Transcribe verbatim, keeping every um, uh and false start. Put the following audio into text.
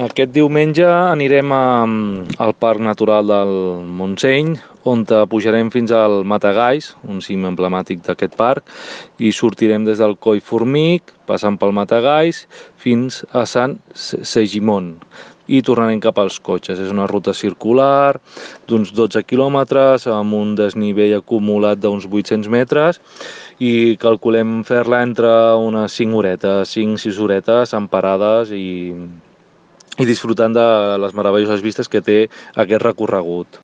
Aquest diumenge anirem a, al Parc Natural del Montseny, on pujarem fins al Matagalls, un cim emblemàtic d'aquest parc, i sortirem des del Coll Formic, passant pel Matagalls, fins a Sant Segimon, i tornarem cap als cotxes. És una ruta circular d'uns dotze quilòmetres, amb un desnivell acumulat d'uns vuit-cents metres, i calculem fer-la entre unes cinc horetes, cinc sis horetes, amb parades i... i disfrutant de les meravelloses vistes que té aquest recorregut.